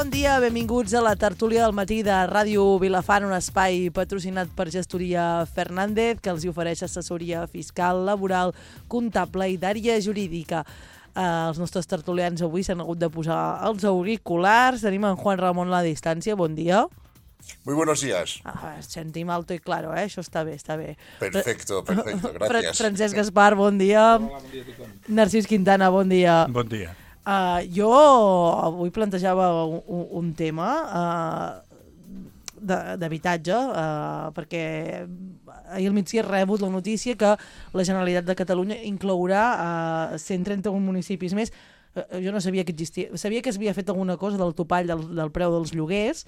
Bon dia, benvinguts a la tertúlia del matí de Ràdio Vilafant, un espai patrocinat per Gestoria Fernández, que els ofereix assessoria fiscal, laboral, comptable i d'àrea jurídica. Els nostres tertulians avui s'han hagut de posar els auriculars. Tenim en Juan Ramón a la distància. Bon dia. Muy buenos días. Sentim alto i claro, Això està bé, està bé. Perfecto, gracias. Francesc Gaspar, bon dia. Hola, bon dia a tothom. Narcís Quintana, bon dia. Bon dia. Jo avui plantejava un tema d'habitatge, perquè ahir al migdia he rebut la notícia que la Generalitat de Catalunya inclourà 131 municipis més. Jo no sabia que existia, sabia que s'havia fet alguna cosa del topall del preu dels lloguers,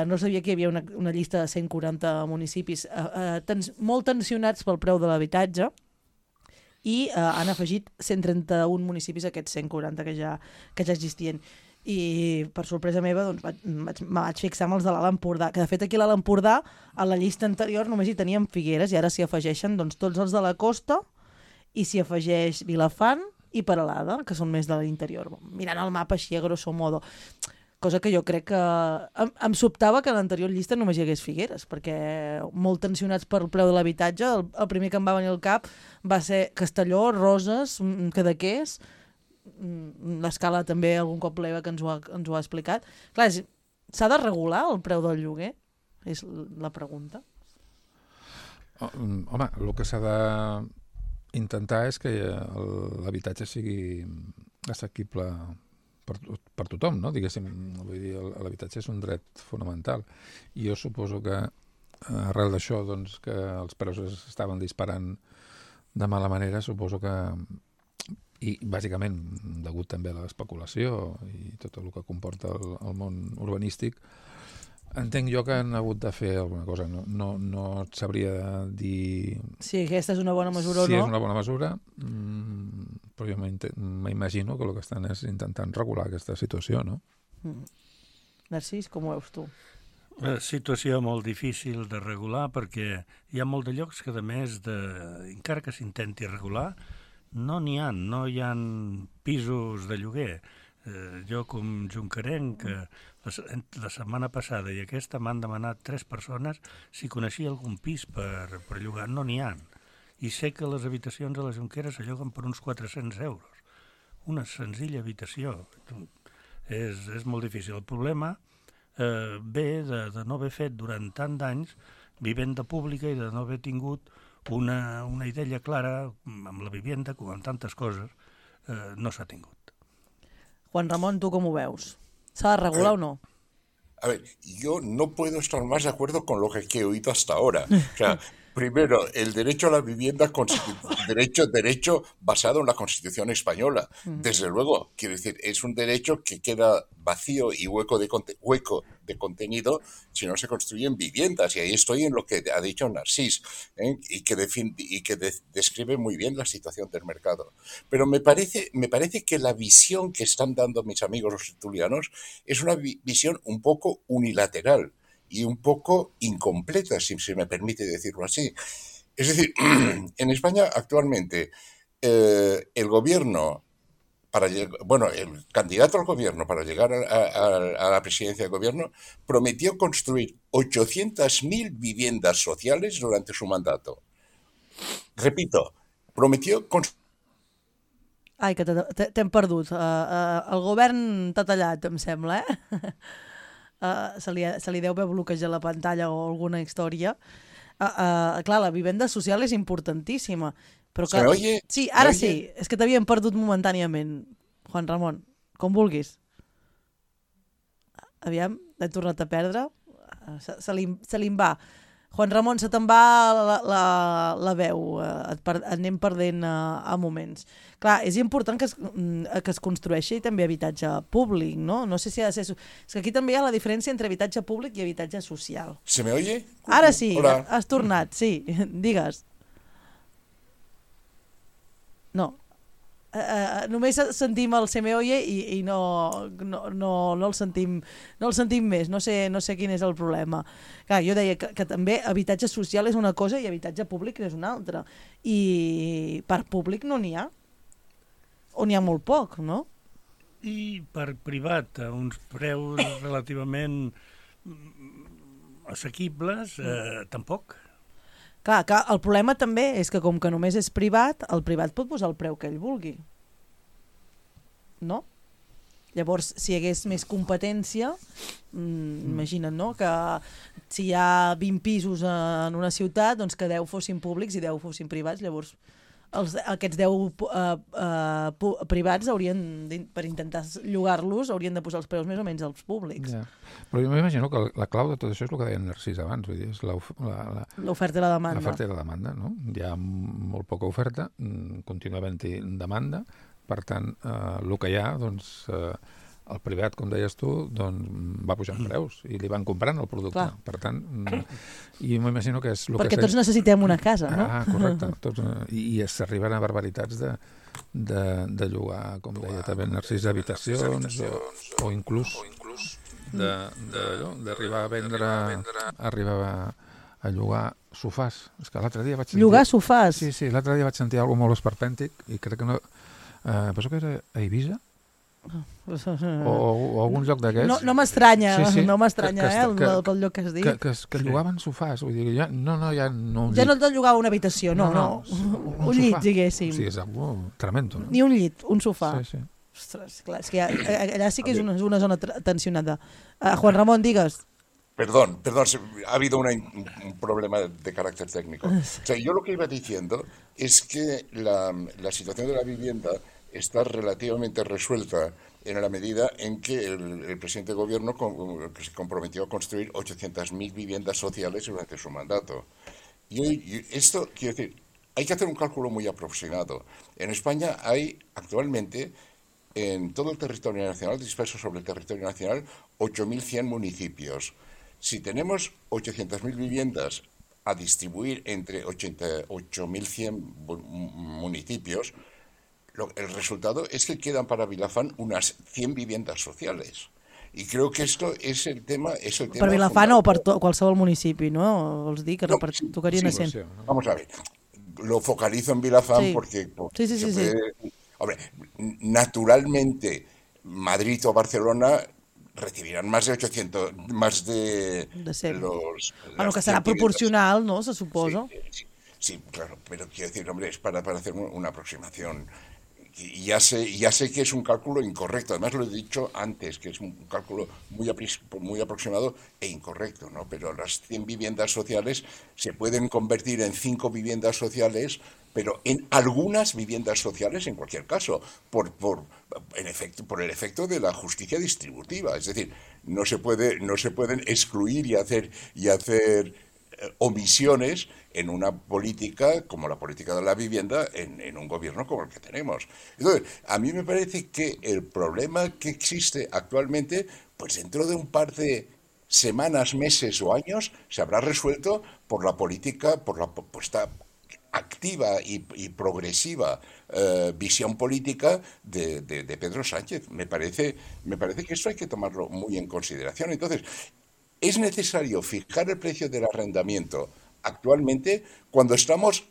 no sabia que hi havia una llista de 140 municipis molt tensionats pel preu de l'habitatge, i han afegit 131 municipis a aquests 140 que ja existien. I per sorpresa meva doncs, me vaig fixar amb els de l'Alt Empordà, que de fet aquí a l'Alt Empordà a la llista anterior només hi teníem Figueres i ara s'hi afegeixen doncs, tots els de la costa i s'hi afegeix Vilafant i Peralada, que són més de l'interior. Mirant el mapa així a grosso modo, cosa que jo crec que em sobtava que a l'anterior llista només hi hagués Figueres, perquè molt tensionats per el preu de l'habitatge, el primer que em va venir al cap va ser Castelló, Roses, Cadaqués, l'Escala també algun cop l'Eva que ens ho ha explicat. Clar, s'ha de regular el preu del lloguer? És la pregunta. Home, el que s'ha d'intentar és que l'habitatge sigui assequible per tothom, no? Diguéssim, vull dir, l'habitatge és un dret fonamental. I jo suposo que arrel d'això, doncs, que els preus estaven disparant de mala manera, suposo que, i bàsicament degut també a l'especulació i tot el que comporta el món urbanístic, entenc jo que han hagut de fer alguna cosa. No et sabria dir si aquesta és una bona mesura o no. Si és una bona mesura, però jo m'imagino que el que estan és intentant regular aquesta situació, no? Narcís, com ho veus tu? Una situació molt difícil de regular perquè hi ha molt de llocs que, a més, encara que s'intenti regular, no hi ha pisos de lloguer. Jo, com junquerenc, la setmana passada i aquesta m'han demanat 3 persones si coneixia algun pis per llogar. No n'hi ha. I sé que les habitacions a les Jonqueres se lloguen per uns 400 euros. Una senzilla habitació. És molt difícil. El problema ve de no haver fet durant tant d'anys vivenda pública i de no haver tingut una idea clara amb la vivenda, com amb tantes coses, no s'ha tingut. Juan Ramón, ¿tú cómo veus? ¿Se ha regulado o no? A ver, yo no puedo estar más de acuerdo con lo que he oído hasta ahora. O sea, primero, el derecho a la vivienda, derecho basado en la Constitución española. Desde luego, quiero decir, es un derecho que queda vacío y hueco de contenido si no se construyen viviendas. Y ahí estoy en lo que ha dicho Narcís, y que describe muy bien la situación del mercado. Pero me parece que la visión que están dando mis amigos los tertulianos es una visión un poco unilateral y un poco incompleta, si se me permite decirlo así. Es decir, en España actualmente el gobierno, el candidato al gobierno para llegar a la presidencia del gobierno prometió construir 800.000 viviendas sociales durante su mandato. Repito, prometió construir... Ai, que t'hem perdut. El govern t'ha tallat, em sembla, se li deu haver bloquejat la pantalla o alguna història. Clar, la vivenda social és importantíssima. Però que... Oye, sí, ara sí. És que t'havíem perdut momentàniament, Juan Ramón. Com vulguis. Aviam, l'he tornat a perdre. Se li va. Juan Ramón, se te'n va la veu. Anem perdent a moments. Clar, és important que es construeixi també habitatge públic, no? No sé si ha de ser... És que aquí també hi ha la diferència entre habitatge públic i habitatge social. ¿Se me oye? Ara sí, Hola. has tornat, sí. Digues. No. Només sentim el se me oye i no el sentim més. No sé quin és el problema. Clar, jo deia que també habitatge social és una cosa i habitatge públic és una altra. I per públic no n'hi ha. O n'hi ha molt poc, no? I per privat, a uns preus relativament assequibles, tampoc. Clar, que el problema també és que com que només és privat, el privat pot posar el preu que ell vulgui. No? Llavors, si hi hagués més competència, imagina't, no?, que si hi ha 20 pisos en una ciutat, doncs que 10 fossin públics i 10 fossin privats, llavors aquests 10 privats haurien, per intentar llogar-los, haurien de posar els preus més o menys als públics. Ja. Però jo m'imagino que la clau de tot això és el que deia Narcís abans, vull dir, és l'oferta i la demanda. L'oferta i la demanda, no? Hi ha molt poca oferta, continua havent-hi demanda, per tant, el que hi ha, doncs, el privat, com deies tu, doncs, va pujant preus i li van comprant el producte. Clar. Per tant, i m'imagino que és... Perquè tots necessitem una casa, no? Correcte. Tots, i s'arriben a barbaritats de llogar, com deia també Narcís, habitacions o inclús d'arribar a vendre, arribar a llogar sofàs. És que l'altre dia vaig sentir... Llogar sofàs? Sí, l'altre dia vaig sentir alguna molt esperpèntic i crec que no... penso que era a Eivissa? O algun lloc d'aquests. No m'estranya, sí. No m'estranya, pel lloc que has dit. Que llogaven sofàs, vull dir, ja no et llogava una habitació, no. Un llit, diguéssim. Sí, és algo tremendo. No? Ni un llit, un sofà. Sí. Ostres, clar, és que allà sí que és una zona tensionada. Juan Ramón, digues. Perdón, ha habido un problema de carácter técnico. O sea, yo lo que iba diciendo es que la situación de la vivienda está relativamente resuelta en la medida en que el presidente de gobierno se comprometió a construir 800.000 viviendas sociales durante su mandato. Y esto, quiero decir, hay que hacer un cálculo muy aproximado. En España hay actualmente, en todo el territorio nacional, disperso sobre el territorio nacional, 8.100 municipios. Si tenemos 800.000 viviendas a distribuir entre 8.100 municipios, el resultado es que quedan para Vilafant unas 100 viviendas sociales. Y creo que esto es el tema... Per Vilafant o per qualsevol municipi, no? Vols dir que tocarien a 100. Vamos a ver, lo focalizo en Vilafant porque sí. Hombre, naturalmente Madrid o Barcelona recibirán más de 800, más de 100. Los que serà proporcional, ¿no? Se suposa. Sí, claro, pero quiero decir, hombre, es para hacer una aproximación. Y ya sé que es un cálculo incorrecto, además lo he dicho antes, que es un cálculo muy aproximado e incorrecto, ¿no? Pero las 100 viviendas sociales se pueden convertir en 5 viviendas sociales, pero en algunas viviendas sociales en cualquier caso, por el efecto de la justicia distributiva. Es decir, no se pueden excluir y hacer omisiones en una política como la política de la vivienda en un gobierno como el que tenemos. Entonces, a mí me parece que el problema que existe actualmente, pues dentro de un par de semanas, meses o años, se habrá resuelto por la política, por la puesta activa y progresiva visión política de Pedro Sánchez. Me parece que esto hay que tomarlo muy en consideración. Entonces, es necesario fijar el precio del arrendamiento actualmente cuando estamos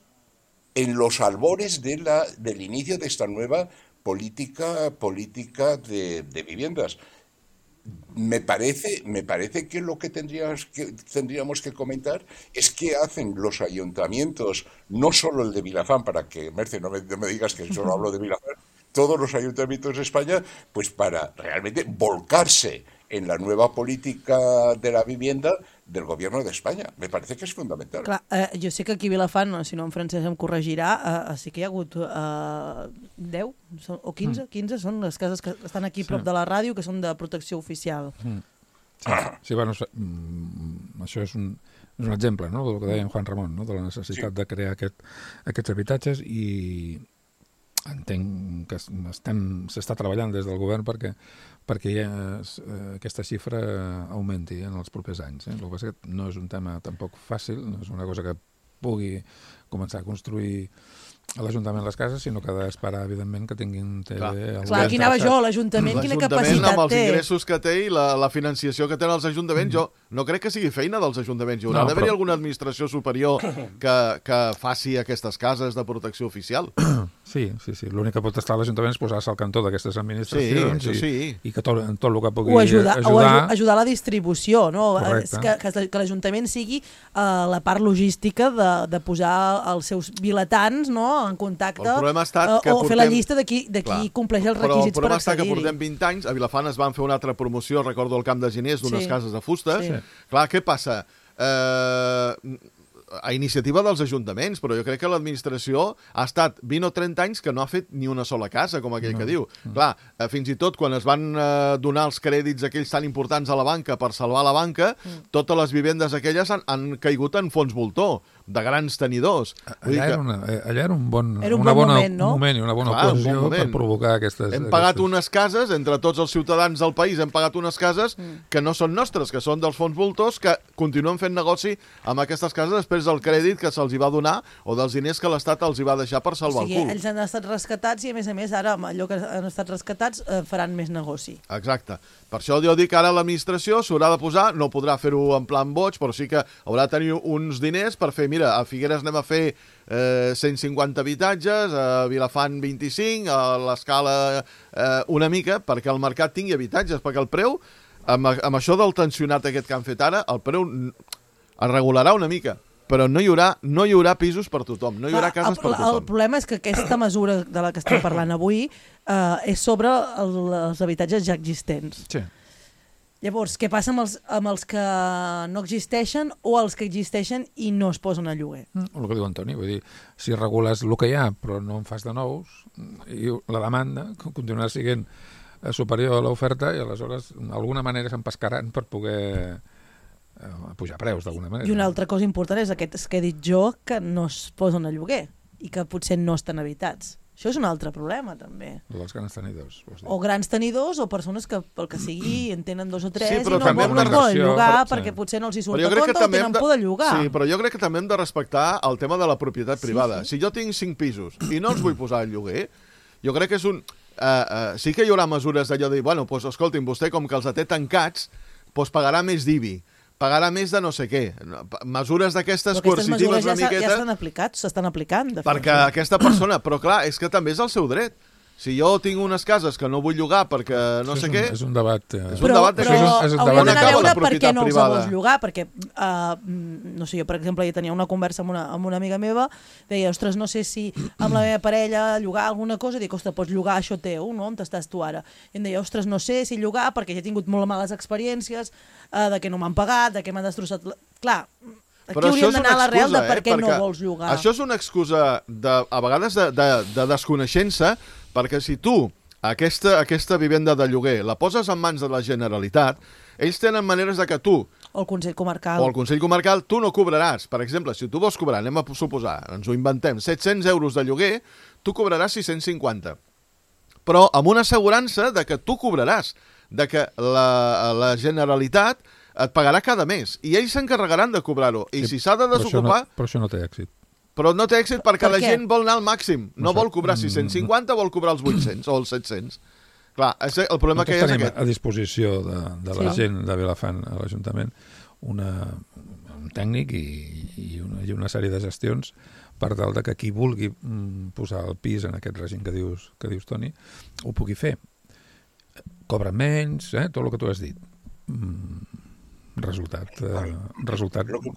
en los albores del inicio de esta nueva política de viviendas. Me parece que lo que tendríamos que comentar es qué hacen los ayuntamientos, no solo el de Vilafant, para que, Merce, no me digas que solo hablo de Vilafant, todos los ayuntamientos de España, pues para realmente volcarse en la nueva política de la vivienda del gobierno de España. Me parece que és fundamental. Clar, jo sé que aquí a Vilafant, si no en Francesc em corregirà, sí que hi ha hagut 10 o 15 són les cases que estan aquí prop de la ràdio, que són de protecció oficial. Sí, bueno, això és un exemple, no?, del que deia en Juan Ramón, no?, de la necessitat de crear aquests habitatges, i entenc que s'està treballant des del govern perquè aquesta xifra augmenti en els propers anys. El que passa és que no és un tema tampoc fàcil, no és una cosa que pugui començar a construir a l'Ajuntament les cases, sinó que ha d'esperar, evidentment, que tinguin... Clar, aquí anava jo, l'Ajuntament quina capacitat té. Amb els ingressos que té i la financiació que tenen els ajuntaments, jo no crec que sigui feina dels ajuntaments. Hi haurà d'haver alguna administració superior que faci aquestes cases de protecció oficial. Sí. L'únic que pot estar a l'Ajuntament és posar-se al cantó d'aquestes administracions i que tot el que pugui ajudar... O ajudar la distribució, no? Correcte. Que l'Ajuntament sigui la part logística de posar els seus vilatans, no?, en contacte o fer la llista de qui compleix els requisits per accedir-hi. Però el problema està que portem 20 anys, a Vilafant es van fer una altra promoció, recordo el Camp de Giners, d'unes cases de fustes. Clar, què passa? A iniciativa dels ajuntaments, però jo crec que l'administració ha estat 20 o 30 anys que no ha fet ni una sola casa, com aquell que diu. Clar, fins i tot quan es van donar els crèdits aquells tan importants a la banca per salvar la banca, totes les vivendes aquelles han caigut en fons voltor, de grans tenidors. Allà era un bon moment i una bona ocasió per provocar aquestes... Hem pagat unes cases, entre tots els ciutadans del país, hem pagat unes cases que no són nostres, que són dels fons voltors, que continuen fent negoci amb aquestes cases després del crèdit que se'ls va donar o dels diners que l'Estat els va deixar per salvar el cul. Ells han estat rescatats i, a més, ara amb allò que han estat rescatats faran més negoci. Exacte. Per això jo dic que ara l'administració s'haurà de posar, no podrà fer-ho en plan boig, però sí que haurà de tenir uns diners per fer, mira, a Figueres anem a fer 150 habitatges, a Vilafant 25, a l'Escala una mica, perquè el mercat tingui habitatges, perquè el preu, amb això del tensionat aquest que han fet ara, el preu es regularà una mica, però no hi haurà pisos per tothom, no hi haurà cases per tothom. El problema és que aquesta mesura de la que estem parlant avui és sobre els habitatges ja existents. Sí. Llavors, què passa amb els que no existeixen o els que existeixen i no es posen a lloguer? El que diu Antoni, vull dir, si regules el que hi ha però no en fas de nous, i la demanda continuarà sent superior a l'oferta i aleshores d'alguna manera s'empescaran per poder pujar preus d'alguna manera. I una altra cosa important és aquests que he dit jo que no es posen a lloguer i que potser no estan habitats. Això és un altre problema, també. Els grans tenidors. O grans tenidors o persones que, pel que sigui, en tenen 2 o 3 i no volen llogar perquè potser no els hi surt a compte o tenen por de llogar. Sí, però jo crec que també hem de respectar el tema de la propietat privada. Si jo tinc 5 pisos i no els vull posar al lloguer, jo crec que és un... sí que hi haurà mesures d'allò de dir, bueno, doncs escolti'm, vostè com que els té tancats, doncs pagarà més d'IBI, pagarà més de no sé què. Mesures d'aquestes coercitives una miqueta... Ja estan aplicats, s'estan aplicant. Perquè aquesta persona... Però clar, és que també és el seu dret. Si jo tinc unes cases que no vull llogar perquè no sé què... És un debat... Però hauríem d'anar a veure per què no els vols llogar, perquè, no sé, jo, per exemple, ja tenia una conversa amb una amiga meva, deia, ostres, no sé si amb la meva parella llogar alguna cosa, dic, ostres, pots llogar això teu, no? On estàs tu ara? I em deia, ostres, no sé si llogar perquè ja he tingut molt males experiències, de que no m'han pagat, de que m'han destrossat... Clar, aquí hauríem d'anar a l'arrel de per què no vols llogar. Això és una excusa, a vegades, de desconeixença, perquè si tu aquesta vivenda de lloguer la poses en mans de la Generalitat, ells tenen maneres de que tu... O el Consell Comarcal. O el Consell Comarcal, tu no cobraràs. Per exemple, si tu vols cobrar, anem a suposar, ens ho inventem, 700 euros de lloguer, tu cobraràs 650. Però amb una assegurança de que tu cobraràs, de que la Generalitat et pagarà cada mes, i ells s'encarregaran de cobrar-ho. I si s'ha de desocupar... Però això no té èxit. Però no té èxit perquè la gent vol anar al màxim. No vol cobrar 650, vol cobrar els 800 o els 700. Clar, el problema que hi ha és aquest. A disposició de la gent de Vilafant a l'Ajuntament un tècnic i una sèrie de gestions per tal de que qui vulgui posar el pis en aquest règim que dius Toni, ho pugui fer. Cobren menys, tot el que tu has dit. Resultat. Lo que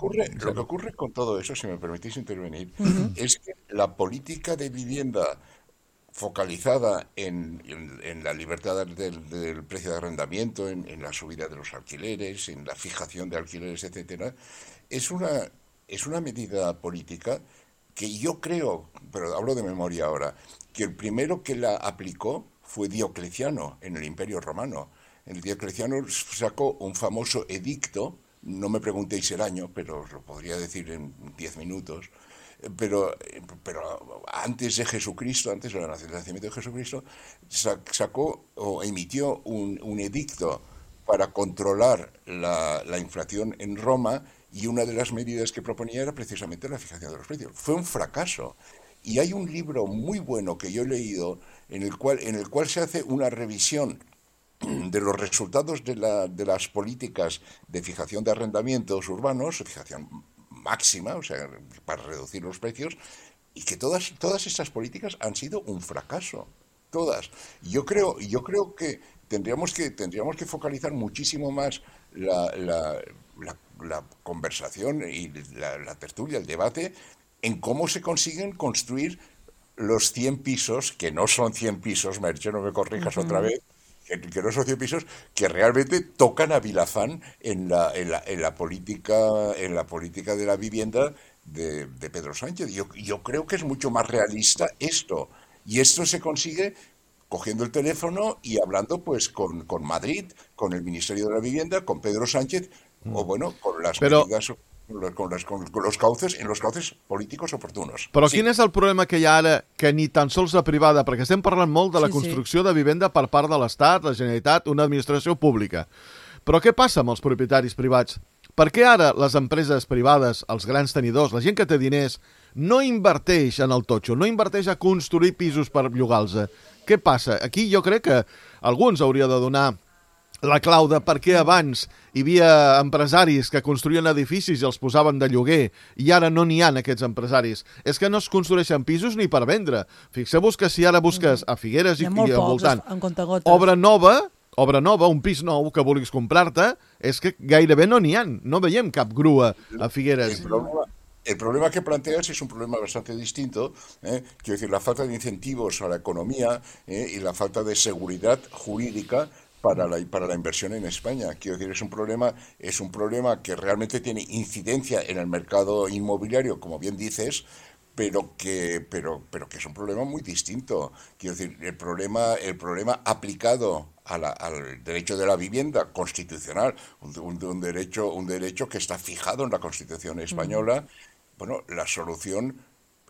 ocurre con todo eso, si me permitís intervenir, es que la política de vivienda focalizada en la libertad del precio de arrendamiento, en la subida de los alquileres, en la fijación de alquileres, etcétera, es una medida política que yo creo, pero hablo de memoria ahora, que el primero que la aplicó fue Diocleciano en el Imperio Romano. El Diocleciano sacó un famoso edicto, no me preguntéis el año, pero os lo podría decir en 10 minutos, pero antes de Jesucristo, antes del nacimiento de Jesucristo, sacó o emitió un edicto para controlar la inflación en Roma, y una de las medidas que proponía era precisamente la fijación de los precios. Fue un fracaso. Y hay un libro muy bueno que yo he leído en el cual se hace una revisión de los resultados de las políticas de fijación de arrendamientos urbanos, fijación máxima, o sea, para reducir los precios, y que todas estas políticas han sido un fracaso. Todas. Yo creo que tendríamos que focalizar muchísimo más la conversación y la tertulia, el debate, en cómo se consiguen construir los 100 pisos, que no son 100 pisos, Merche, no me corrijas otra vez, que no son 100 pisos, que realmente tocan a Vilafán en la política de la vivienda de Pedro Sánchez. Yo creo que es mucho más realista esto. Y esto se consigue cogiendo el teléfono y hablando pues con Madrid, con el Ministerio de la Vivienda, con Pedro Sánchez, o bueno, con las medidas, con los cauces, en los cauces políticos oportunos. Però quin és el problema que hi ha ara, que ni tan sols la privada, perquè estem parlant molt de la construcció de vivenda per part de l'Estat, la Generalitat, una administració pública. Però què passa amb els propietaris privats? Per què ara les empreses privades, els grans tenidors, la gent que té diners, no inverteix en el totxo, no inverteix a construir pisos per llogar-los? Què passa? Aquí jo crec que algú ens hauria de donar la clau de per què abans hi havia empresaris que construïen edificis i els posaven de lloguer i ara no n'hi ha aquests empresaris. És que no es construeixen pisos ni per vendre. Fixeu-vos que si ara busques a Figueres i al voltant obra nova, un pis nou que vulguis comprar-te, és que gairebé no n'hi ha. No veiem cap grua a Figueres. El problema que planteas es un problema bastante distinto, quiero decir, la falta de incentivos a la economía y la falta de seguridad jurídica para la inversión en España. Quiero decir, es un problema que realmente tiene incidencia en el mercado inmobiliario, como bien dices, pero que es un problema muy distinto. Quiero decir, el problema aplicado al derecho de la vivienda constitucional, un derecho que está fijado en la Constitución española. Bueno, la solución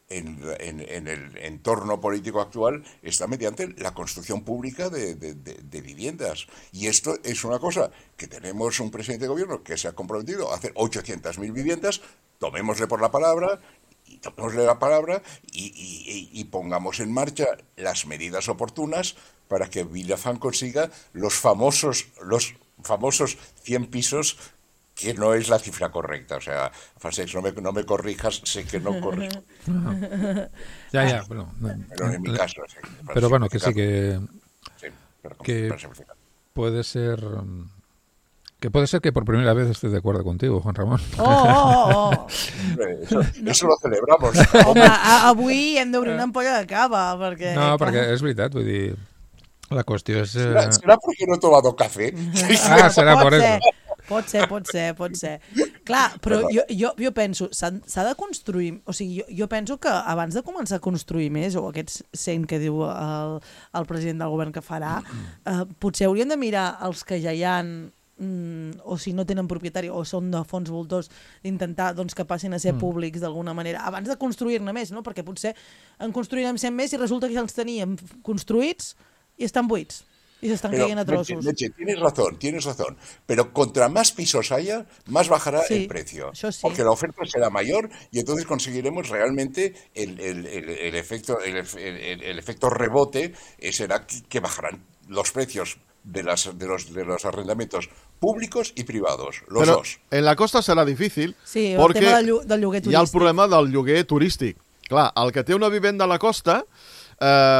en el entorno político actual está mediante la construcción pública de viviendas. Y esto es una cosa que tenemos un presidente de gobierno que se ha comprometido a hacer 800.000 viviendas, tomémosle la palabra y pongamos en marcha las medidas oportunas para que Vilafán consiga los famosos 100 pisos, que no es la cifra correcta. O sea, Francesc, no me corrijas, sé que no corrijo. Ya, bueno. Pero en mi caso, sí. Pero bueno, que sí, que puede ser... Que puede ser que por primera vez esté de acuerdo contigo, Juan Ramon. Eso lo celebramos. Home, avui hem d'obrir una ampolla de cava, perquè... No, perquè és veritat, vull dir... La qüestió és... ¿Será porque no he tomado café? Serà por eso. Pot ser. Clar, però jo penso, s'ha de construir... O sigui, jo penso que abans de començar a construir més, o aquests 100 que diu el president del govern que farà, potser haurien de mirar els que ja hi han, o si no tenen propietari o són de fons voltors, d'intentar doncs, que passin a ser públics d'alguna manera, abans de construir-ne més, no? Perquè potser en construirem 100 més i resulta que ja els teníem construïts i estan buits. Y se están cayendo a trozos. Leche, tienes razón. Pero contra más pisos haya, más bajará el precio. Sí. Porque la oferta será mayor y entonces conseguiremos realmente el efecto rebote, será que bajarán los precios de los arrendamientos públicos y privados, los dos. En la costa serà difícil, sí, perquè el tema del lloguer turístic. Hi ha el problema del lloguer turístic. Clar, el que té una vivenda a la costa...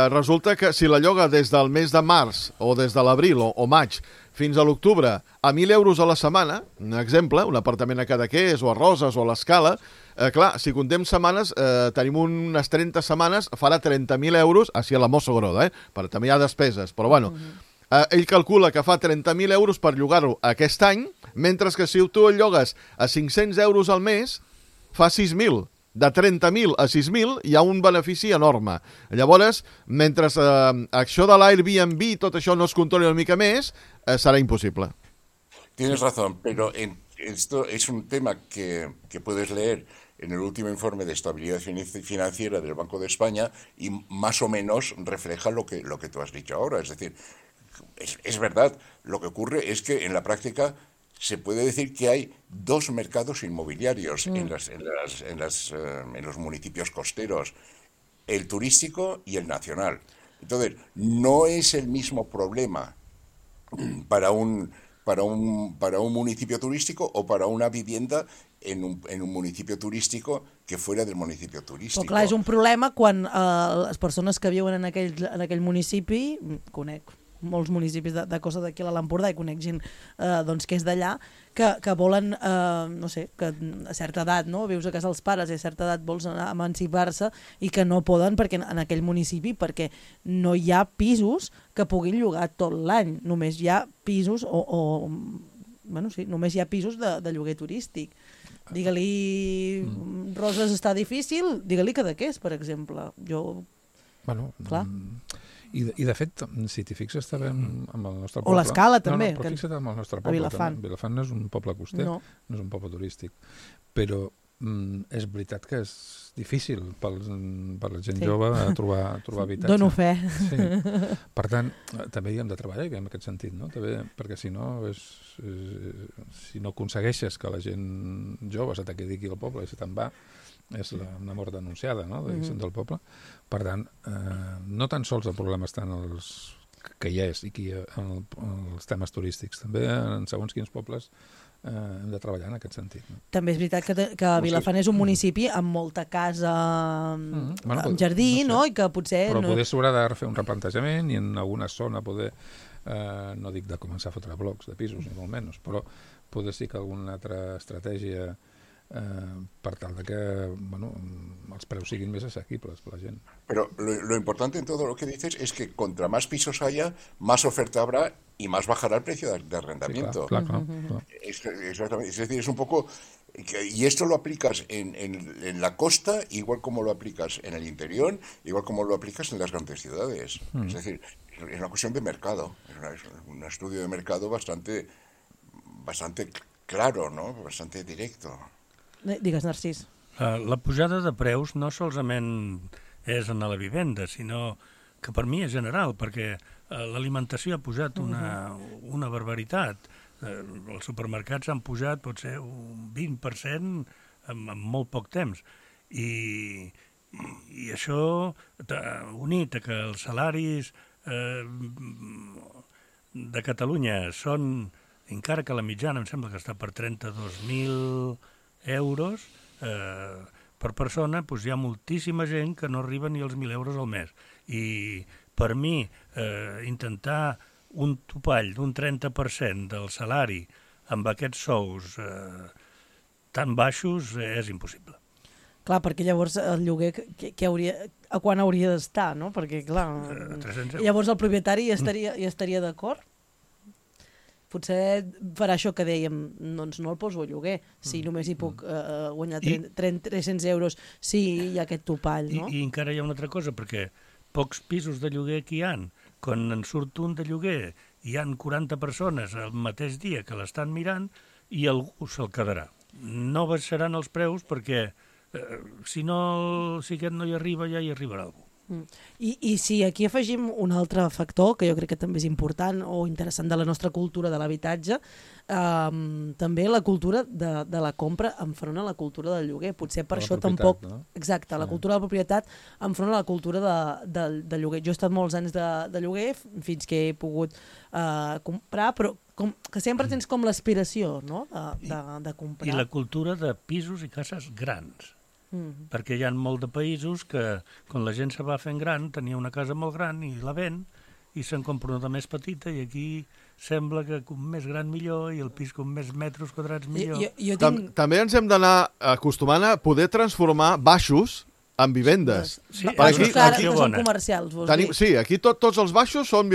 resulta que si la lloga des del mes de març o des de l'abril o maig fins a l'octubre a 1.000 euros a la setmana, un exemple, un apartament a Cadaqués o a Roses o a l'Escala, clar, si contem setmanes, tenim unes 30 setmanes, farà 30.000 euros, així a la Mosso Groda, però també hi ha despeses, però bueno, ell calcula que fa 30.000 euros per llogar-ho aquest any, mentre que si tu el llogues a 500 euros al mes, fa 6.000. De 30.000 a 6.000 hi ha un benefici enorme. Llavors, mentre això de l'Airbnb i tot això no es controli una mica més, serà impossible. Tienes razón, pero esto es un tema que puedes leer en el último informe de estabilidad financiera del Banco de España y más o menos refleja lo que tú has dicho ahora. Es decir, es verdad, lo que ocurre es que en la práctica se puede decir que hay dos mercados inmobiliarios en los municipios costeros. el turístico y el nacional. Entonces, no es el mismo problema para un municipio turístico o para una vivienda en un municipio turístico que fuera del municipio turístico. Però clar, és un problema quan les persones que viuen en aquell municipi, conec molts municipis de Costa d'aquí a l'Empordà i conec gent doncs, que és d'allà, que volen, no sé, que a certa edat, no? Vius a casa dels pares i a certa edat vols anar a emancipar-se i que no poden perquè en aquell municipi perquè no hi ha pisos que puguin llogar tot l'any, només hi ha pisos bueno, sí, només hi ha pisos de lloguer turístic. Digue-li Roses està difícil, digue-li Cadaqués, per exemple. Bueno, clar. I de fet, si t'hi fixes també amb el nostre O poble... l'Escala també. No, però fixa't amb el nostre poble. Vilafant. També. Vilafant no és un poble coster, no és un poble turístic. Però és veritat que és difícil per la gent jove trobar habitatge. Dono fe. Sí. Per tant, també hi hem de treballar en aquest sentit, no? També, perquè si no aconsegueixes que la gent jove se te quedi aquí al poble i se te'n va, és una mort denunciada, no? Del poble. Per tant, no tan sols el problema està en els que hi és i en els temes turístics, també en segons quins pobles hem de treballar en aquest sentit. No? També és veritat que Vilafant és un municipi amb molta casa, amb jardí, no? I que potser... Però poder s'haurà de fer un replantejament i en alguna zona poder, no dic de començar a fotre blocs de pisos, ni molt menys, però poder sí que alguna altra estratègia per tal de que els preus siguin més assequibles per la gent. Pero lo importante en todo lo que dices es que contra más pisos haya, más oferta habrá y más bajará el precio de arrendamiento. Sí, claro. Exactamente. Es decir, es un poco... Y esto lo aplicas en la costa, igual como lo aplicas en el interior, igual como lo aplicas en las grandes ciudades. Es decir, es una cuestión de mercado. Es un estudio de mercado bastante claro, ¿no? Bastante directo. Digues, Narcís. La pujada de preus no solament és en la vivenda, sinó que per mi és general, perquè l'alimentació ha pujat una barbaritat. Els supermercats han pujat potser un 20% en molt poc temps. I això, unit a que els salaris de Catalunya són, encara que la mitjana em sembla que està per 32.000 euros per persona, doncs hi ha moltíssima gent que no arriba ni als 1.000 euros al mes. I per mi intentar un topall d'un 30% del salari amb aquests sous tan baixos és impossible. Clar, perquè llavors el lloguer a quan hauria d'estar, no? Perquè, clar, 300 euros. Llavors el propietari hi estaria d'acord? Potser farà això que dèiem, doncs no el poso a lloguer, si només hi puc guanyar 300 euros si hi ha aquest topall, no? I encara hi ha una altra cosa, perquè pocs pisos de lloguer que hi ha, quan en surt un de lloguer, hi han 40 persones el mateix dia que l'estan mirant i algú se'l quedarà. No baixaran els preus perquè si aquest no hi arriba, ja hi arribarà algú. I si aquí afegim un altre factor, que jo crec que també és important o interessant de la nostra cultura de l'habitatge, també la cultura de la compra enfront a la cultura del lloguer. Potser per això tampoc... No? Exacte, la cultura de la propietat enfront a la cultura de lloguer. Jo he estat molts anys de lloguer fins que he pogut comprar, però que sempre tens com l'aspiració, no?, de comprar. I la cultura de pisos i cases grans. Perquè hi ha molt de països que quan la gent se va fent gran tenia una casa molt gran i la ven i se'n compra una de més petita i aquí sembla que com més gran millor i el pis com més metres quadrats millor. També ens hem d'anar acostumant a poder transformar baixos en vivendes. Sí, aquí són comercials, vols dir? Sí, aquí tots els baixos són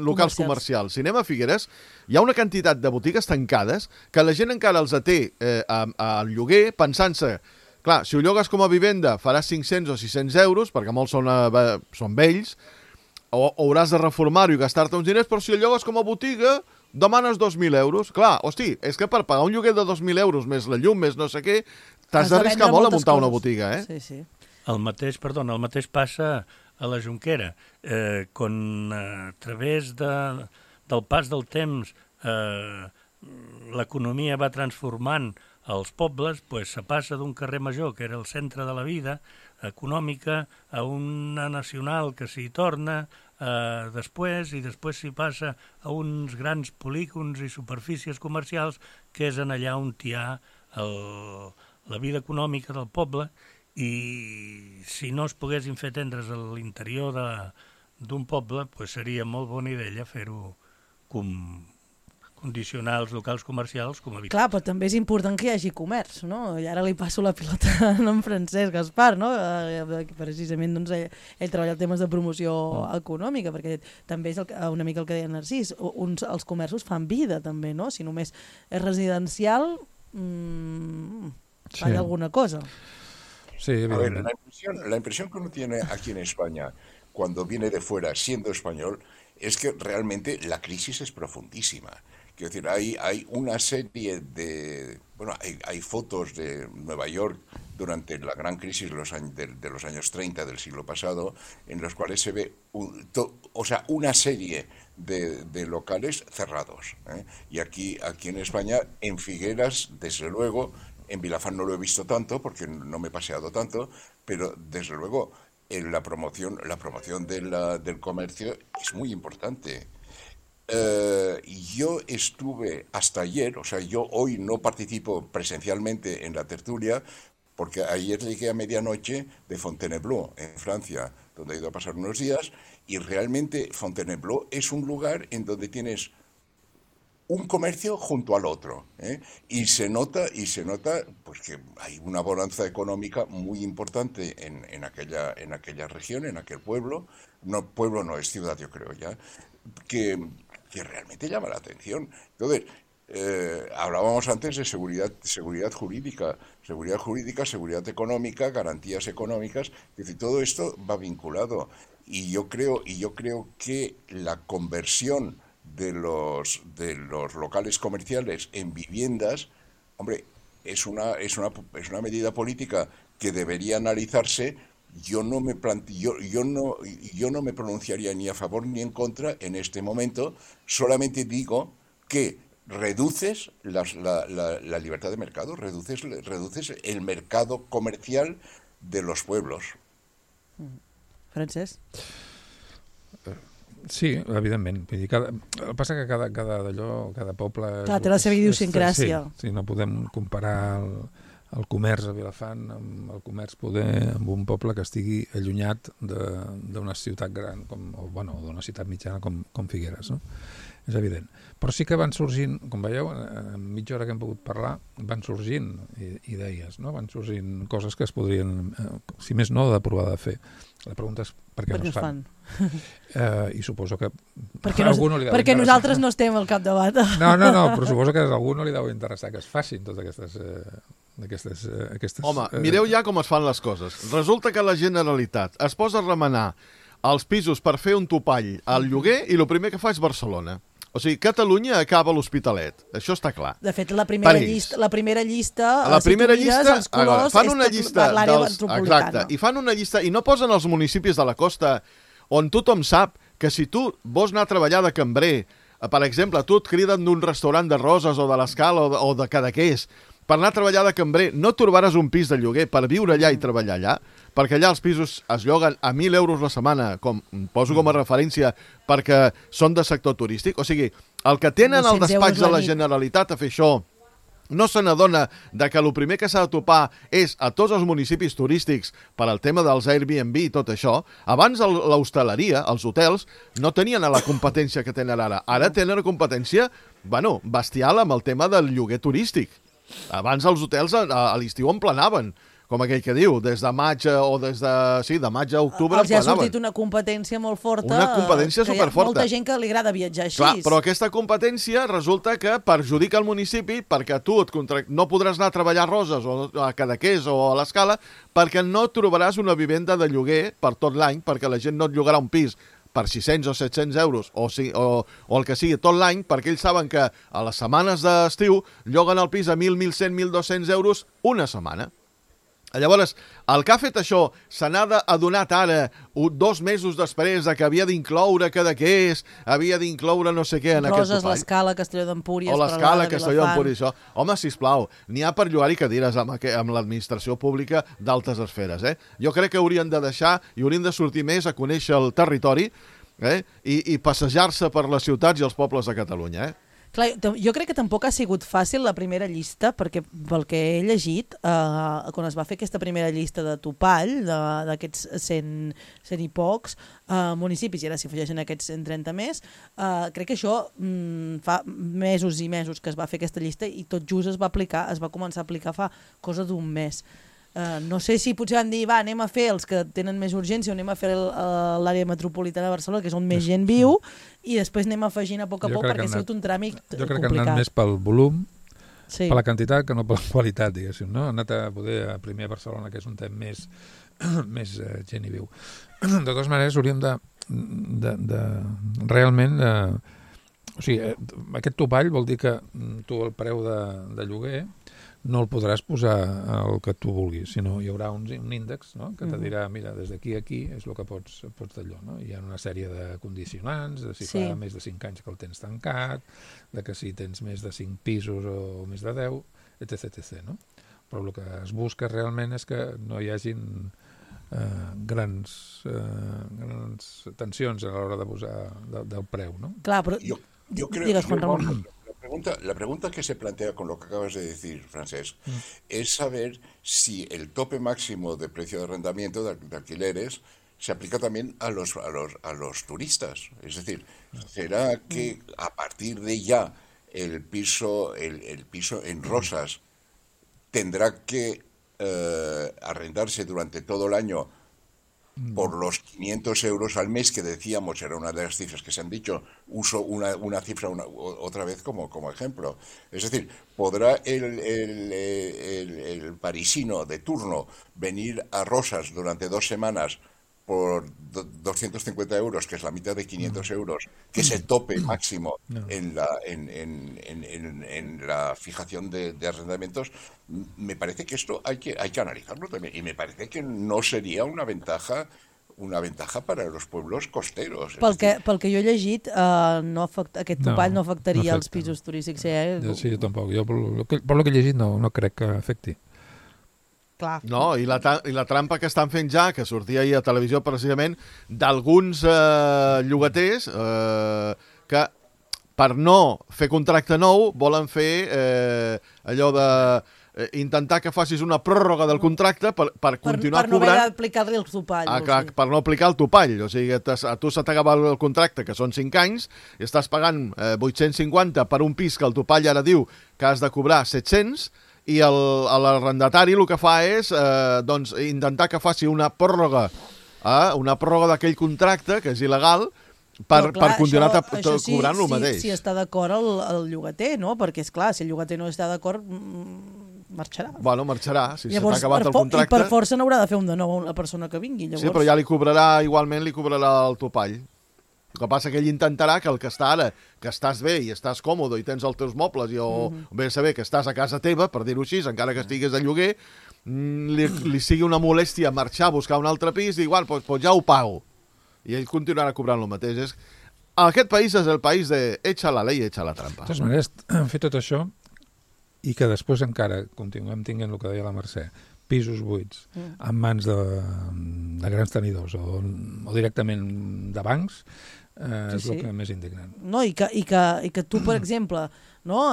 locals comercials. Si anem a Figueres, hi ha una quantitat de botigues tancades que la gent encara els té al lloguer pensant-se. Clar, si ho llogues com a vivenda faràs 500 o 600 euros, perquè molts són vells, o hauràs de reformar-ho i gastar-te uns diners, però si ho llogues com a botiga, demanes 2.000 euros. Clar, hosti, és que per pagar un lloguer de 2.000 euros, més la llum, més no sé què, t'has d'arriscar molt a muntar una botiga, eh? Sí. El mateix passa a la Jonquera. Quan a través del pas del temps l'economia va transformant als pobles, se passa d'un carrer major, que era el centre de la vida, econòmica, a una nacional que s'hi torna després, i després s'hi passa a uns grans polígons i superfícies comercials, que és en allà on hi ha la vida econòmica del poble, i si no es poguessin fer tendres a l'interior d'un poble, pues seria molt bona idea fer-ho condicionar els locals comercials com a habitatge. Clar, però també és important que hi hagi comerç, no? I ara li passo la pilota a en Francesc Gaspar, no? Precisament doncs, ell treballa en temes de promoció econòmica, perquè també és una mica el que deia Narcís, els comerços fan vida també, no? Si només és residencial, falla alguna cosa. Sí, a ver, la impresión que uno tiene aquí en España cuando viene de fuera siendo español es que realmente la crisis es profundísima. Quiero decir, hay una serie de... Bueno, hay fotos de Nueva York durante la gran crisis de los años 30 del siglo pasado, en los cuales se ve una serie de locales cerrados. Y aquí en España, en Figueras, desde luego, en Vilafán no lo he visto tanto, porque no me he paseado tanto, pero desde luego la promoción del comercio es muy importante. Yo estuve hasta ayer, o sea, yo hoy no participo presencialmente en la tertulia, porque ayer llegué a medianoche de Fontainebleau, en Francia, donde he ido a pasar unos días, y realmente Fontainebleau es un lugar en donde tienes un comercio junto al otro, y se nota pues que hay una bonanza económica muy importante en aquella región, en aquel pueblo no es ciudad, yo creo ya, que realmente llama la atención. Entonces, hablábamos antes de seguridad jurídica, seguridad económica, garantías económicas, es decir, todo esto va vinculado, y yo creo que la conversión de los locales comerciales en viviendas, hombre, es una medida política que debería analizarse. Yo no me pronunciaría ni a favor ni en contra en este momento, solamente digo que reduces la libertad de mercado, reduces el mercado comercial de los pueblos. Francesc? Sí, evidentment. Vull dir, el que passa que cada poble... Clar, té la seva idiosincràsia. Sí, no podem comparar el comerç a Vilafant amb el comerç amb un poble que estigui allunyat d'una ciutat gran, o d'una ciutat mitjana com Figueres, no? És evident. Però sí que van sorgint, com veieu, en mitja hora que hem pogut parlar, van sorgint idees, no? Van sorgint coses que es podrien, si més no, de provar de fer. La pregunta és per què no es fan. I suposo que perquè nosaltres no estem al capdavant. No, però suposo que a algú no li deu interessar que es facin totes aquestes... Home, mireu ja com es fan les coses. Resulta que la Generalitat es posa a remenar els pisos per fer un topall al lloguer i el primer que fa és Barcelona. O sigui, Catalunya acaba l'Hospitalet. Això està clar. De fet, la primera llista, els colors, fan una llista per l'àrea metropolitana. Exacte, i fan una llista i no posen els municipis de la costa on tothom sap que si tu vols anar a treballar de cambrer, per exemple, tu et criden d'un restaurant de Roses o de l'Escala o de Cadaqués, per anar a treballar de cambrer no trobaràs un pis de lloguer per viure allà i treballar allà, perquè allà els pisos es lloguen a 1.000 euros la setmana, poso com a referència, perquè són de sector turístic. O sigui, el que tenen al despatx de la Generalitat a fer això no se n'adona que el primer que s'ha de topar és a tots els municipis turístics per al tema dels Airbnb i tot això. Abans l'hostaleria, els hotels, no tenien la competència que tenen ara. Ara tenen competència, bestial amb el tema del lloguer turístic. Abans els hotels a l'estiu en planaven, com aquell que diu, des de maig o de maig a octubre en planaven. Els ha sortit una competència molt forta. Una competència superforta. Hi ha molta gent que li agrada viatjar així. Clar, però aquesta competència resulta que perjudica el municipi perquè tu no podràs anar a treballar a Roses o a Cadaqués o a l'Escala perquè no trobaràs una vivenda de lloguer per tot l'any, perquè la gent no et llogarà un pis per 600 o 700 euros o el que sigui tot l'any, perquè ells saben que a les setmanes d'estiu lloguen el pis a 1.000, 1.100, 1.200 euros una setmana. Llavors, el que ha fet això se n'ha adonat ara, 2 mesos després, que havia d'incloure Cadaqués, havia d'incloure no sé què en aquest Roses, topall. l'Escala, Castelló d'Empúries, O l'Escala, Peralada, Castelló d'Empúries, Vilafant. això. Home, sisplau, n'hi ha per llogar-hi cadires amb l'administració pública d'altes esferes. Jo crec que haurien de deixar i haurien de sortir més a conèixer el territori i passejar-se per les ciutats i els pobles de Catalunya. Clar, jo crec que tampoc ha sigut fàcil la primera llista, perquè pel que he llegit, quan es va fer aquesta primera llista de topall, d'aquests 100 i pocs municipis, i ara s'hi afegeixen aquests 130 més, crec que això fa mesos i mesos que es va fer aquesta llista i tot just es va començar a aplicar fa cosa d'un mes. No sé si potser van dir, va, anem a fer els que tenen més urgència o anem a fer l'àrea metropolitana de Barcelona, que és on més gent viu, i després anem afegint a poc perquè ha sigut un tràmit complicat. Jo crec que han anat més pel volum, sí, per la quantitat, que no per la qualitat, diguéssim. No? Han anat a poder primer a Barcelona, que és un temps més gent hi viu. De totes maneres, hauríem de realment... O sigui, aquest topall vol dir que tu el preu de lloguer no el podràs posar el que tu vulguis, sinó hi haurà un índex, no?, que te dirà, mira, des d'aquí a aquí és el que pots d'allò. No? Hi ha una sèrie de condicionants, de si fa més de 5 anys que el tens tancat, de que si tens més de 5 pisos o més de 10, etc. No? Però el que es busca realment és que no hi hagin grans tensions a l'hora de posar del preu. No? Clar, però... Yo creo Digues, Juan Ramón. La pregunta que se plantea con lo que acabas de decir, Francesc, es saber si el tope máximo de precio de arrendamiento de alquileres se aplica también a los turistas. Es decir, ¿será que a partir de ya el piso en Rosas tendrá que arrendarse durante todo el año por los 500 euros al mes que decíamos, era una de las cifras que se han dicho, uso una cifra otra vez como ejemplo? Es decir, ¿podrá el parisino de turno venir a Rosas durante 2 semanas por 250 euros, que es la mitad de 500 euros, que es el tope máximo en la fijación de arrendamientos? Me parece que esto hay que analizarlo también, y me parece que no sería una ventaja para los pueblos costeros. Pel que jo he llegit, aquest topall no afectaria els pisos turístics. Sí, jo tampoc. Jo, per lo que he llegit, no crec que afecti. Clar. No, i la trampa que estan fent ja, que sortia ahir a televisió precisament, d'alguns llogaters que per no fer contracte nou volen fer allò de intentar que facis una pròrroga del contracte per continuar per no cobrant... haver d'aplicar-li el topall. Per no aplicar el topall. O sigui, a tu se t'acaba el contracte, que són 5 anys, i estàs pagant 850 per un pis que el topall ara diu que has de cobrar 700, i l'arrendatari el que fa és intentar que faci una pròrroga d'aquell contracte, que és il·legal, per continuar cobrant el mateix. Si està d'acord el llogater, no? Perquè, és clar, si el llogater no està d'acord, marxarà. Bueno, marxarà, si s'ha acabat el I contracte. per força n'haurà de fer un de nou la persona que vingui. Llavors... Sí, però ja li cobrarà el topall. El que passa que ell intentarà que el que està ara, que estàs bé i estàs còmode i tens els teus mobles i bé saber que estàs a casa teva, per dir-ho així, encara que estigués de lloguer, li sigui una molèstia marxar a buscar un altre pis i igual, doncs ja ho pago. I ell continuarà cobrant el mateix. Aquest país és el país de echa la ley, echa la trampa. De totes maneres, fer tot això i que després encara continuem tinguent el que deia la Mercè, pisos buits en mans de grans tenidors o directament de bancs, és el que més indignant. No, i que tu, per exemple,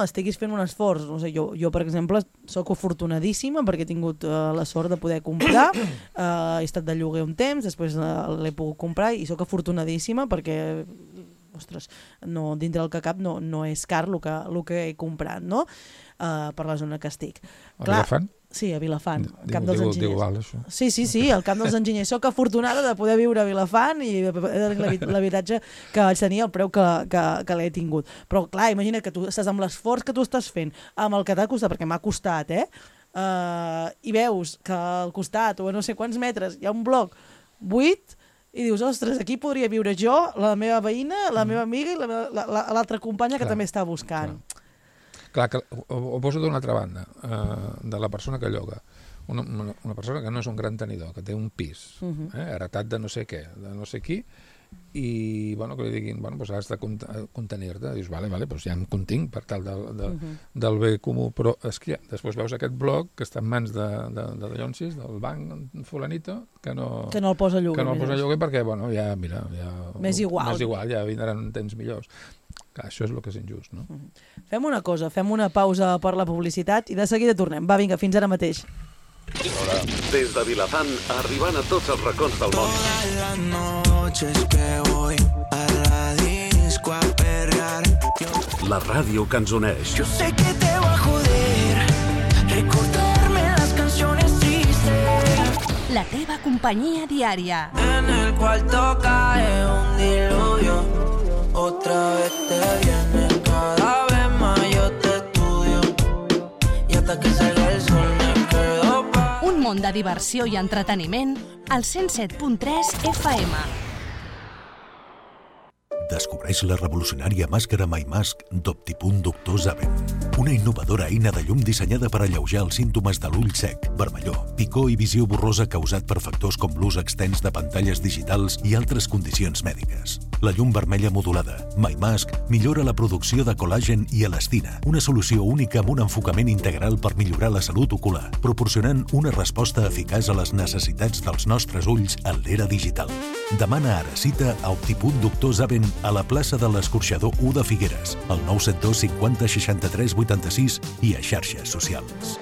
estiguis fent un esforç. No sé, jo, per exemple, sóc afortunadíssima perquè he tingut la sort de poder comprar. He estat de lloguer un temps, després l'he pogut comprar i sóc afortunadíssima perquè, ostres, dintre del que cap no és car el que he comprat, no? Per la zona que estic. A Vilafant? Sí, a Vilafant, al Camp dels Enginyers. Diu val, això. Sí, al Camp dels Enginyers. Soc afortunada de poder viure a Vilafant i l'habitatge que vaig tenir, el preu que l'he tingut. Però, clar, imagina't que tu estàs amb l'esforç que tu estàs fent, amb el que t'ha costat, perquè m'ha costat, i veus que al costat, o a no sé quants metres, hi ha un bloc buit, i dius, ostres, aquí podria viure jo, la meva veïna, la meva amiga i l'altra companya que també està buscant. Clar, que ho poso d'una altra banda, de la persona que lloga. una persona que no és un gran tenidor, que té un pis, heretat de no sé què, de no sé qui, i bueno, que li diguin, bueno, doncs has de contenir-te. Dius, vale, doncs ja em continc per tal del bé comú, però és que després veus aquest bloc que està en mans de Llonsis, del banc fulanito, que no el posa a lloguer. Que no el posa a lloguer perquè, bueno, ja, mira... Més igual, ja vindran temps millors. Clar, això és el que és injust, no? Fem una cosa, fem una pausa per la publicitat i de seguida tornem. Va, vinga, fins ara mateix. Des de Vilafant, arribant a tots els racons del món. Todas las noches que voy a la disco a perrear. La ràdio que ens uneix. Yo sé que te va a joder recordarme las canciones tristes. La teva companyia diària. En el cuarto cae un diluvio. Otra vez te viene, cada vez más yo te estudio. Y hasta que salga el sol me quedo. Un món de diversió i entreteniment al 107.3 FM. Descobreix la revolucionària màscara MyMask d'Optipunt Doctor Zaven. Una innovadora eina de llum dissenyada per alleujar els símptomes de l'ull sec, vermellor, picor i visió borrosa causat per factors com l'ús extens de pantalles digitals i altres condicions mèdiques. La llum vermella modulada, MyMask, millora la producció de col·làgen i elastina, una solució única amb un enfocament integral per millorar la salut ocular, proporcionant una resposta eficaç a les necessitats dels nostres ulls en l'era digital. Demana ara cita a Optipunt Doctor Zaven a la plaça de l'Escorxador 1 de Figueres, al 972 50 63 86 i a xarxes socials.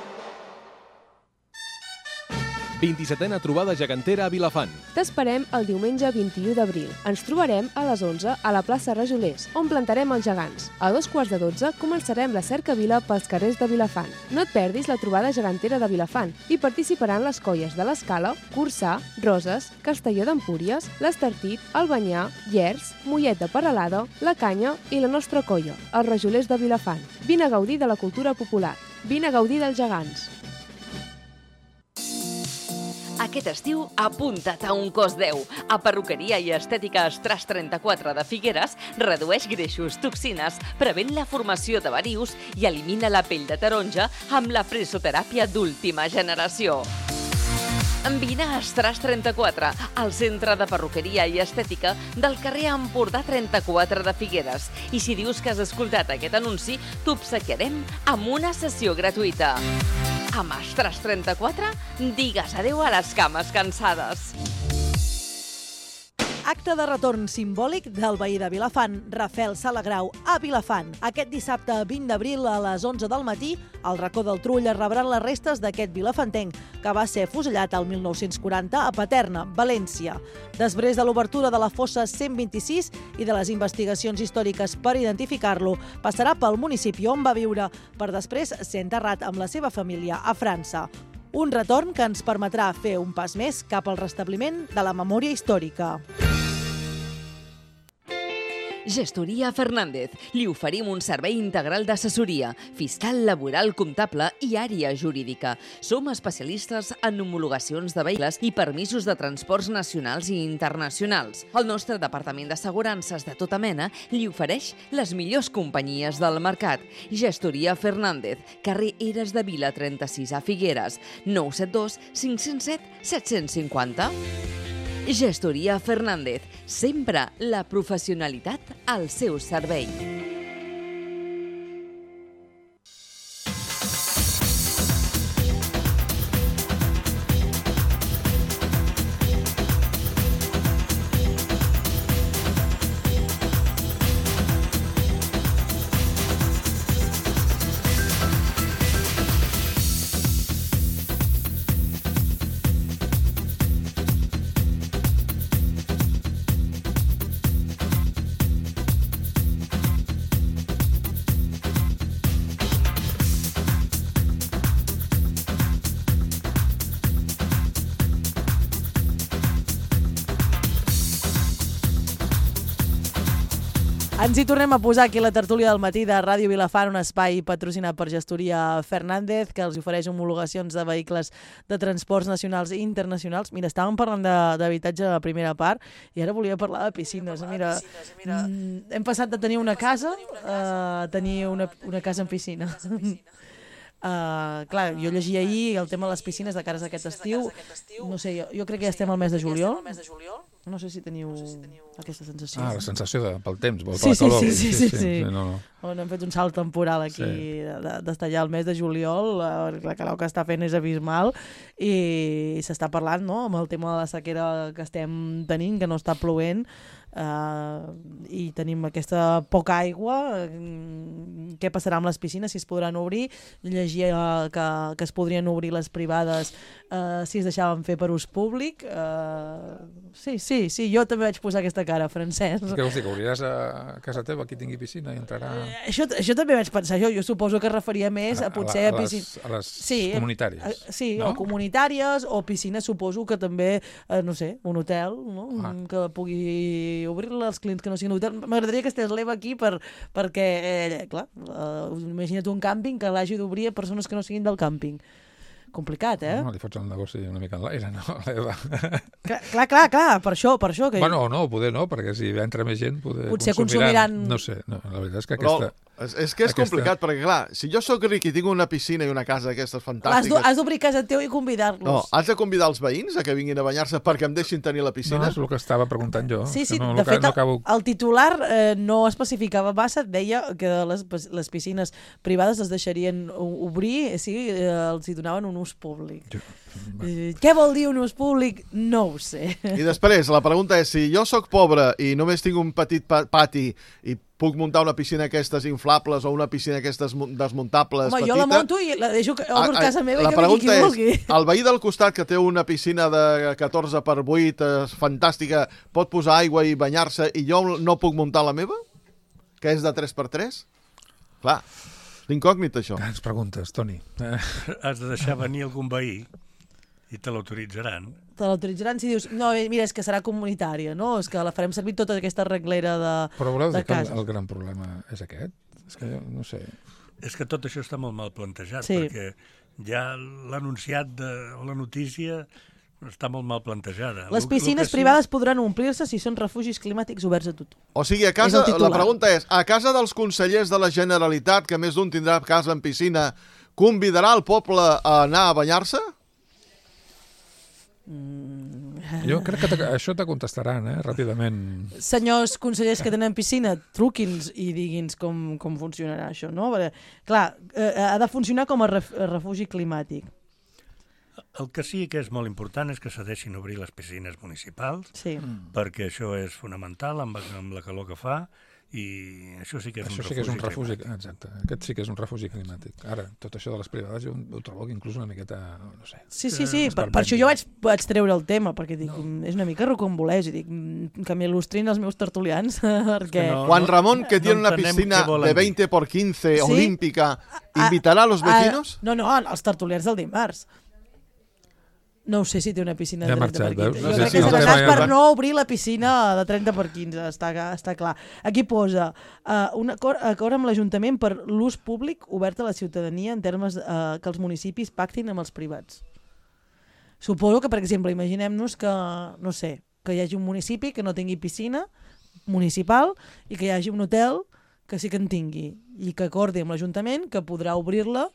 27a trobada gegantera a Vilafant. T'esperem el diumenge 21 d'abril. Ens trobarem a les 11 a la plaça Rajolers, on plantarem els gegants. A 2:15 començarem la cercavila pels carrers de Vilafant. No et perdis la trobada gegantera de Vilafant. Hi participaran les colles de l'Escala, Corçà, Roses, Castelló d'Empúries, l'Estartit, Albanyà, Llers, Mollet de Peralada, La Canya i la nostra colla, els Rajolers de Vilafant. Vine a gaudir de la cultura popular. Vine a gaudir dels gegants. Aquest estiu, apunta't a un cos 10. A Perruqueria i Estètica Estras 34 de Figueres redueix greixos, toxines, prevent la formació de varius i elimina la pell de taronja amb la fresoteràpia d'última generació. Vine a Estras 34, al centre de perruqueria i estètica del carrer Empordà 34 de Figueres. I si dius que has escoltat aquest anunci, t'obsequiarem amb una sessió gratuïta. Amb Estras 34, digues adeu a les cames cansades. Acte de retorn simbòlic del veí de Vilafant, Rafel Salagrau, a Vilafant. Aquest dissabte 20 d'abril a les 11 del matí, al racó del Trull es rebran les restes d'aquest vilafantenc, que va ser fusellat el 1940 a Paterna, València. Després de l'obertura de la fossa 126 i de les investigacions històriques per identificar-lo, passarà pel municipi on va viure, per després ser enterrat amb la seva família a França. Un retorn que ens permetrà fer un pas més cap al restabliment de la memòria històrica. Gestoria Fernández. Li oferim un servei integral d'assessoria, fiscal, laboral, comptable i àrea jurídica. Som especialistes en homologacions de vehicles i permisos de transports nacionals i internacionals. El nostre departament d'assegurances de tota mena li ofereix les millors companyies del mercat. Gestoria Fernández, carrer Eres de Vila 36 a Figueres, 972 507 750. Gestoria Fernández, sempre la professionalitat al seu servei. Ens hi tornem a posar aquí a la tertúlia del matí de Ràdio Vilafant, un espai patrocinat per Gestoria Fernández, que els ofereix homologacions de vehicles de transports nacionals i internacionals. Mira, estàvem parlant d'habitatge a la primera part i ara volia parlar de piscines. Mira, hem passat de tenir una casa a tenir una casa amb piscina. Clar, jo llegia ahir el tema de les piscines de cares d'aquest estiu. No sé, jo crec que ja estem al mes de juliol. No sé si teniu aquesta sensació. La sensació pel temps, per sí, la calor. Sí. No. Hem fet un salt temporal aquí d'estar ja al mes de juliol, la calor que està fent és abismal i s'està parlant, no?, amb el tema de la sequera que estem tenint, que no està plovent, i tenim aquesta poca aigua. Què passarà amb les piscines, si es podran obrir? Llegia que es podrien obrir les privades si es deixaven fer per ús públic. Sí, jo també vaig posar aquesta cara, Francesc. Què vols dir, que obriràs a casa teva qui tingui piscina i entrarà... Això també vaig pensar, jo suposo que es referia més a potser a piscines... A les comunitàries. Sí, o comunitàries, o piscines, suposo que també, no sé, un hotel, no? Que pugui obrir-la als clients que no siguin hotel. M'agradaria que estigués l'Eva aquí perquè, clar, imagina't un càmping que l'hagi d'obrir a persones que no siguin del càmping. Complicat, No, li fots el negoci una mica en l'aire, no, l'Eva? Clar, per això. Que... Bueno, no, poder no, perquè si entra més gent potser consumiran... No sé, la veritat és que aquesta... És que és complicat, perquè clar, si jo sóc ric i tinc una piscina i una casa d'aquestes fantàstiques... Has d'obrir casa teu i convidar-los. No, has de convidar els veïns a que vinguin a banyar-se perquè em deixin tenir la piscina? No, és el que estava preguntant jo. Sí, de fet, el titular no especificava massa, deia que les piscines privades es deixarien obrir si els hi donaven un ús públic. Què vol dir un ús públic? No ho sé. I després, la pregunta és, si jo sóc pobre i només tinc un petit pati i puc muntar una piscina d'aquestes inflables o una piscina d'aquestes desmuntables petita... Jo la monto i la deixo a casa meva i que vingui qui vulgui. El veí del costat que té una piscina de 14x8 fantàstica pot posar aigua i banyar-se i jo no puc muntar la meva? Que és de 3x3? Clar, és incògnit això. Grans preguntes, Toni. Has de deixar venir algun veí i te l'autoritzaran. Te l'autoritzaran si dius, no, mira, és que serà comunitària, no? És que la farem servir tota aquesta reglera de cases. Però voleu dir que el gran problema és aquest? És que jo no sé... És que tot això està molt mal plantejat, perquè ja l'anunciat o la notícia està molt mal plantejada. Les piscines privades podran omplir-se si són refugis climàtics oberts a tothom. O sigui, a casa, la pregunta és, a casa dels consellers de la Generalitat, que més d'un tindrà casa en piscina, convidarà el poble a anar a banyar-se? Jo crec que això te contestaran, ràpidament. Senyors consellers que tenen piscina, truqui'ns i digui'ns com funcionarà això, no? Perquè, clar, ha de funcionar com a refugi climàtic. El que sí que és molt important és que se deixin obrir les piscines municipals, perquè això és fonamental amb la calor que fa, i això sí que és un refugi climàtic. Exacte, aquest sí que és un refugi climàtic. Ara, tot això de les privades jo ho trobo que inclús una miqueta, no sé... Sí, per això jo vaig treure el tema, perquè dic, és una mica rocambolès, i dic, que m'il·lustrin els meus tertulians, perquè... Juan Ramón, que tiene una piscina de 20x15 olímpica, ¿invitará a los vecinos? No, els tertulians del dimarts. No ho sé si té una piscina de 30x15. Jo crec que és anat per no obrir la piscina de 30x15, està clar. Aquí posa un acord amb l'Ajuntament per l'ús públic obert a la ciutadania en termes que els municipis pactin amb els privats. Suposo que, per exemple, imaginem-nos que, no sé, que hi hagi un municipi que no tingui piscina municipal i que hi hagi un hotel que sí que en tingui i que acordi amb l'Ajuntament que podrà obrir-la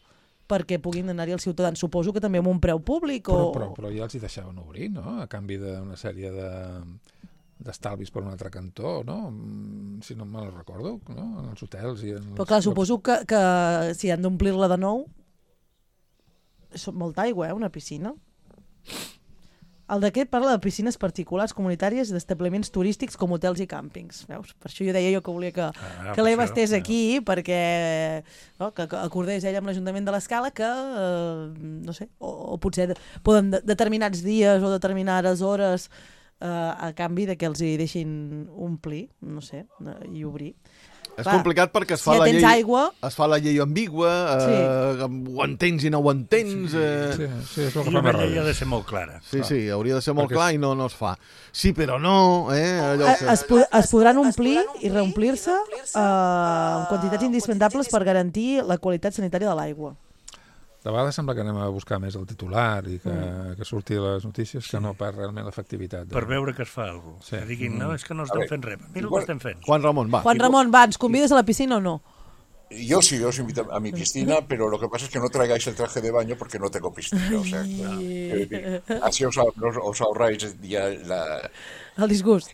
perquè puguin anar-hi els ciutadans. Suposo que també amb un preu públic o... Però ja els hi deixaven obrir, no? A canvi d'una sèrie d'estalvis per un altre cantó, no? Si no me'l recordo, no? En els hotels i en... Però clar, suposo que si han d'omplir-la de nou és molta aigua, una piscina. El decret parla de piscines particulars, comunitàries i d'establiments turístics com hotels i càmpings. Veus? Per això jo deia que volia que l'Eva estés aquí, perquè que acordés ella amb l'Ajuntament de l'Escala que, no sé, o potser poden determinats dies o determinades hores a canvi de que els hi deixin omplir, no sé, i obrir. És complicat perquè es fa la llei ambigua, ho entens i no ho entens... Sí, la llei ha de ser molt clara. Sí, hauria de ser molt clar i no es fa. Sí, però no... Es podran omplir i reomplir-se en quantitats indispensables per garantir la qualitat sanitària de l'aigua. De vegades sembla que anem a buscar més el titular i que surti a les notícies que no per realment l'efectivitat. Per veure que es fa alguna cosa. Que diguin, no, és que no estem fent res. Mira el que estem fent. Juan Ramón, va. Juan Ramón, va, ens convides a la piscina o no? Yo sí, os invito a mi piscina, pero lo que pasa es que no traigáis el traje de baño porque no tengo piscina. O sea, así os ahorráis ya el disgust.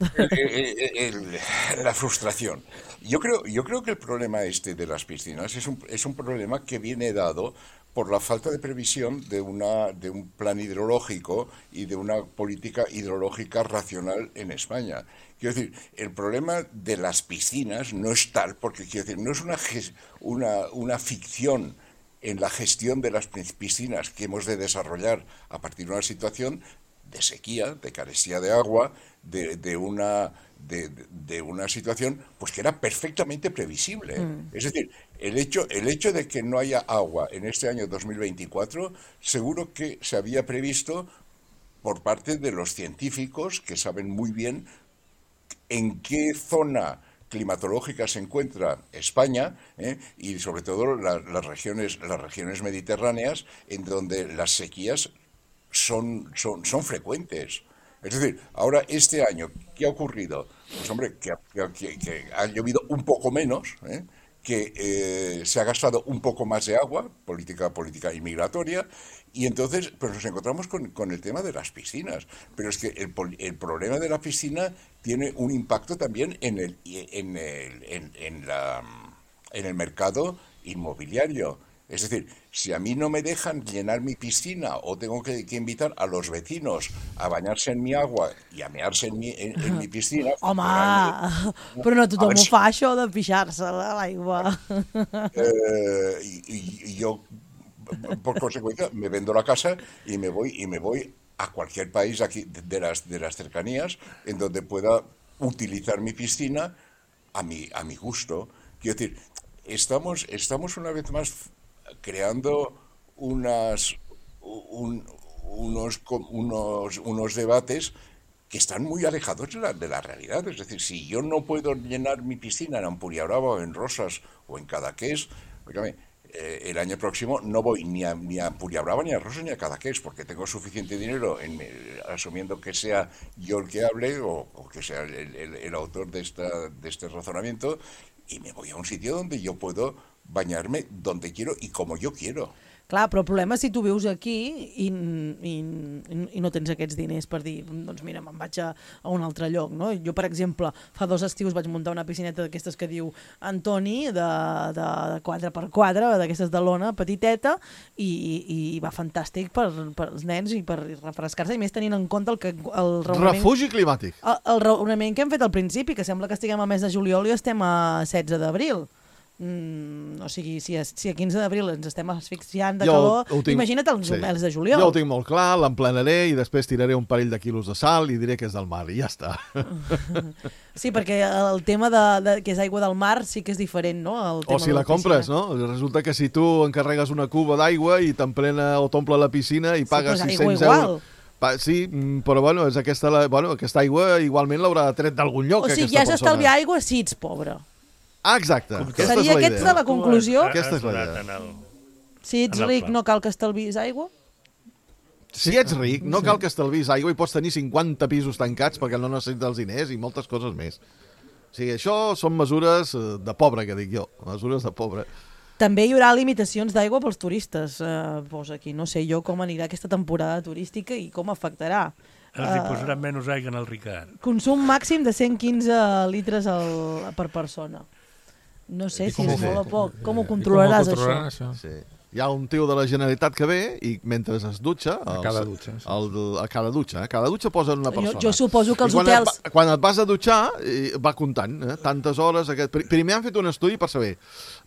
La frustración. Yo creo que el problema de las piscinas es un problema que viene dado por la falta de previsión de un plan hidrológico y de una política hidrológica racional en España. Quiero decir, el problema de las piscinas no es tal, porque quiero decir, no es una ficción en la gestión de las piscinas que hemos de desarrollar a partir de una situación de sequía, de carestía de agua, de una situación pues que era perfectamente previsible. Es decir, el hecho de que no haya agua en este año 2024 seguro que se había previsto por parte de los científicos que saben muy bien en qué zona climatológica se encuentra España, y sobre todo las regiones mediterráneas, en donde las sequías son frecuentes. Es decir, ahora este año, ¿qué ha ocurrido? Pues hombre, que ha llovido un poco menos, que se ha gastado un poco más de agua, política inmigratoria, y entonces pues nos encontramos con el tema de las piscinas. Pero es que el problema de la piscina tiene un impacto también en el mercado inmobiliario. Es decir, si a mí no me dejan llenar mi piscina o tengo que invitar a los vecinos a bañarse en mi agua i a mear-se en mi piscina... Home, però no tothom ho fa, això de pixar-se a l'aigua. Y yo, por consecuencia, me vendo la casa y me voy a cualquier país aquí de las cercanías en donde pueda utilizar mi piscina a mi gusto. Quiero decir, estamos una vez más creando unos debates que están muy alejados de la realidad. Es decir, si yo no puedo llenar mi piscina en Empuriabrava o en Rosas o en Cadaqués, el año próximo no voy ni a Empuriabrava, ni a Rosas, ni a Cadaqués, porque tengo suficiente dinero, asumiendo que sea yo el que hable o que sea el autor de este razonamiento, y me voy a un sitio donde yo puedo bañar-me donde quiero i com jo quiero. Clar, però el problema és si tu vius aquí i no tens aquests diners per dir, doncs mira, me'n vaig a un altre lloc, no? Jo, per exemple, fa 2 estius vaig muntar una piscineta d'aquestes que diu Antoni, de 4x4, d'aquestes de lona, petiteta, i va fantàstic per als nens i per refrescar-se, i més tenint en compte el raonament... Refugi climàtic. El raonament que hem fet al principi, que sembla que estiguem al mes de juliol i estem a 16 d'abril. O sigui, si a 15 d'abril ens estem asfixiant de calor, imagina't els mes de juliol. Jo ho tinc molt clar, l'emplenaré i després tiraré un parell de quilos de sal i diré que és del mar i ja està. Sí, perquè el tema que és aigua del mar sí que és diferent, no? O si la compres, no? Resulta que si tu encarregues una cuba d'aigua i t'emplena o t'omple la piscina i pagues 600 euros... Sí, però bueno, aquesta aigua igualment l'haurà tret d'algun lloc. O sigui, ja has d'estalviar aigua si ets pobre. Ah, exacte. Seria aquesta la conclusió? Aquesta és la idea. Si ets ric no cal que estalvis aigua? Si ets ric no cal que estalvis aigua i pots tenir 50 pisos tancats perquè no necessites els diners i moltes coses més. O sigui, això són mesures de pobre, que dic jo. Mesures de pobre. També hi haurà limitacions d'aigua pels turistes. Posa aquí, no sé jo com anirà aquesta temporada turística i com afectarà. Els hi posaran menys aigua en el Ricard. Consum màxim de 115 litres per persona. No sé si és molt o poc. Com ho controlaràs, això? Sí. Hi ha un tio de la Generalitat que ve i mentre es dutxa... A cada dutxa. A cada dutxa. A cada dutxa posen una persona. Jo suposo que els hotels... Quan et vas a dutxar, va comptant. Tantes hores... Primer han fet un estudi per saber.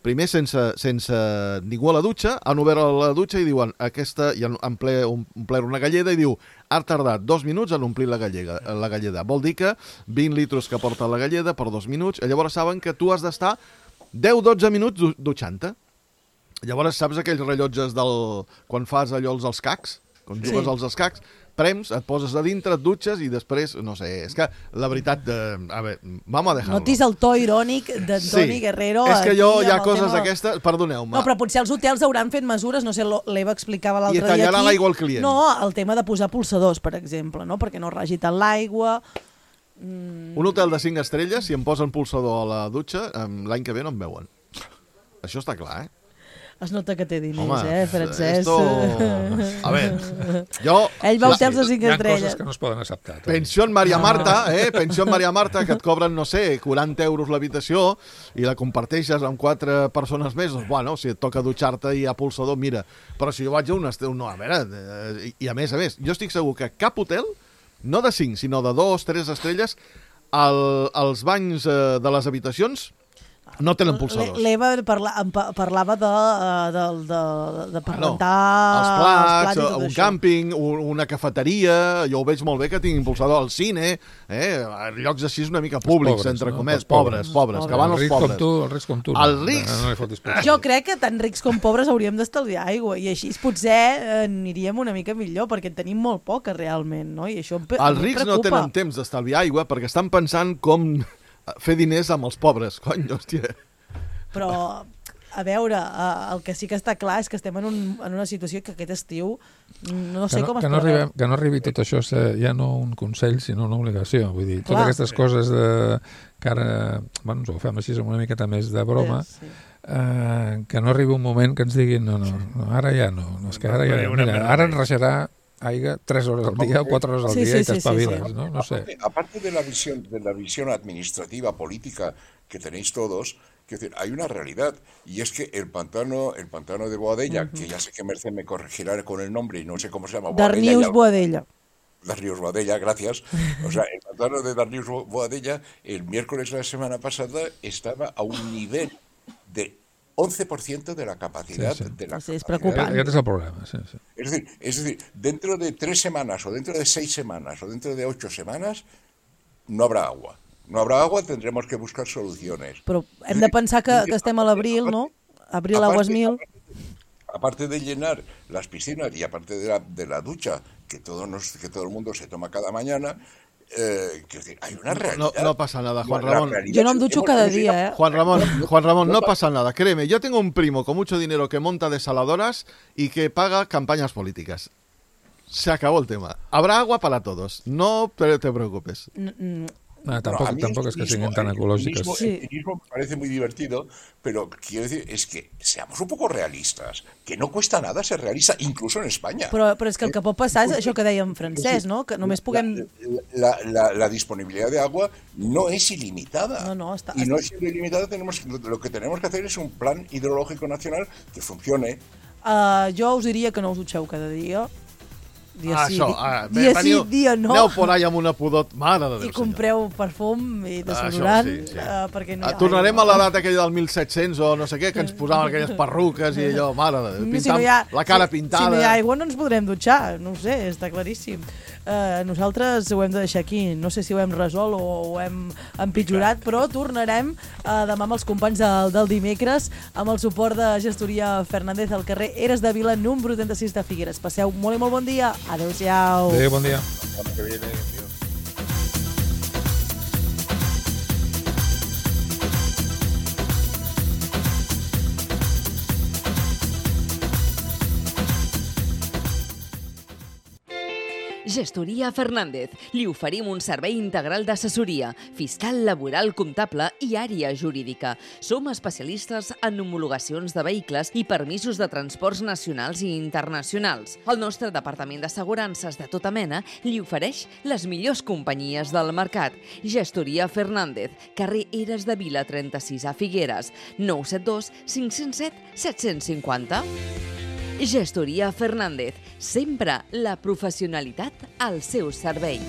Primer, sense ningú a la dutxa, han obert la dutxa i diuen aquesta... I han omplert una galleda i diu ha tardat 2 minuts en omplir la galleda. Vol dir que 20 litres que porta la galleda per 2 minuts. Llavors saben que tu has d'estar 10-12 minuts dutxant-te. Llavors saps aquells rellotges quan fas allò els escacs? Quan jugues als escacs, prems, et poses a dintre, et dutxes i després, no sé, és que la veritat... A veure, vamos a dejar-lo. Notis el to irònic d'Antoni Guerrero. És que jo hi ha coses d'aquestes... Perdoneu-me. No, però potser els hotels hauran fet mesures, no sé, l'Eva explicava l'altre dia aquí... I tallaran l'aigua al client. No, el tema de posar pulsadors, per exemple, no? Perquè no ragi tant l'aigua... Un hotel de 5 estrelles, si em posen pulsador a la dutxa, l'any que ve no em veuen. Això està clar, Es nota que té diners, Home, Francesc? A veure, jo... Ell va hotels de 5 estrelles. Hi ha coses que no es poden acceptar. Pensió en Maria Marta, pensió en Maria Marta, que et cobren, no sé, 40 euros l'habitació i la comparteixes amb 4 persones més, doncs, bueno, si et toca dutxar-te i hi ha pulsador, mira. Però si jo vaig a un estiu, no, a veure, i a més, jo estic segur que cap hotel, no de 5, sinó de 2, 3 estrelles, els banys de les habitacions no tenen pulsadors. L'Eva parlava de rentar els plats, un càmping, una cafeteria, jo ho veig molt bé que tinguin pulsador al cine, llocs així una mica públics, entre comès, pobres, que van els pobres. Els rics com tu. Els rics? Jo crec que tant rics com pobres hauríem d'estalviar aigua i així potser aniríem una mica millor perquè en tenim molt poca realment, no? I això em preocupa. Els rics no tenen temps d'estalviar aigua perquè estan pensant com fer diners amb els pobres, cony, hòstia. Però, a veure, el que sí que està clar és que estem en una situació que aquest estiu no sé com es preveu. Que no arribi tot això ja no un consell, sinó una obligació. Vull dir, totes aquestes coses que ara, bueno, ens ho fem així una miqueta més de broma, que no arribi un moment que ens diguin no, ara ja no, és que ara ja no. Mira, ara ens reixarà aigua 3 hores al día o 4 horas al día y te espabilas, ¿no? No sé. Aparte de la visión administrativa, política que tenéis todos, hay una realidad, y es que el pantano de Boadella, que ya sé que Merced me corregirá con el nombre y no sé cómo se llama. Darnius Boadella. Darnius Boadella, gracias. O sea, el pantano de Darnius Boadella, el miércoles de la semana pasada, estaba a un nivel de 11% de la capacidad de la... Sí, es preocupante. Aquest és el problema, sí. Es decir, dentro de 3 semanas, o dentro de 6 semanas, o dentro de 8 semanas, no habrá agua. No habrá agua, tendremos que buscar soluciones. Però hem de pensar que estem a l'abril, no? Abril aguas mil. Aparte de llenar las piscinas y aparte de la ducha que todo el mundo se toma cada mañana, hay una realidad. No pasa nada, Juan Ramón. Yo no me ducho cada día, Juan Ramón, no pasa nada. Créeme, yo tengo un primo con mucho dinero que monta desaladoras y que paga campañas políticas. Se acabó el tema. Habrá agua para todos. No te preocupes. Tampoco es que sean tan ecológicas. El cinismo me parece muy divertido, pero quiero decir, es que seamos un poco realistas, que no cuesta nada ser realista, incluso en España. Però és que el que pot passar és això que deia en francès, no? Que només puguem... La disponibilidad de agua no es ilimitada. No, y no es ilimitada, lo que tenemos que hacer es un plan hidrológico nacional que funcione. Jo us diria que no us dutxeu cada dia. Dia sí, dia no. Aneu por allà amb una pudor, mare de Déu. I compreu perfum i desodorant, perquè no hi ha tornarem a l'edat aquella del 1700 o no sé què, que ens posaven aquelles perruques i allò, mare de Déu, la cara pintada. Si no hi ha aigua no ens podrem dutxar, no ho sé, està claríssim. Nosaltres ho hem de deixar aquí, no sé si ho hem resolt o ho hem empitjorat, però tornarem demà amb els companys del dimecres amb el suport de Gestoria Fernández al carrer Eres de Vila, número 36 de Figueres. Passeu molt i molt bon dia. Adéu-siau. Adéu, bon dia. Gestoria Fernández. Li oferim un servei integral d'assessoria, fiscal, laboral, comptable i àrea jurídica. Som especialistes en homologacions de vehicles i permisos de transports nacionals i internacionals. El nostre departament d'assegurances de tota mena li ofereix les millors companyies del mercat. Gestoria Fernández, carrer Eres de Vila 36 a Figueres, 972 507 750. Gestoria Fernández, sempre la professionalitat al seu servei.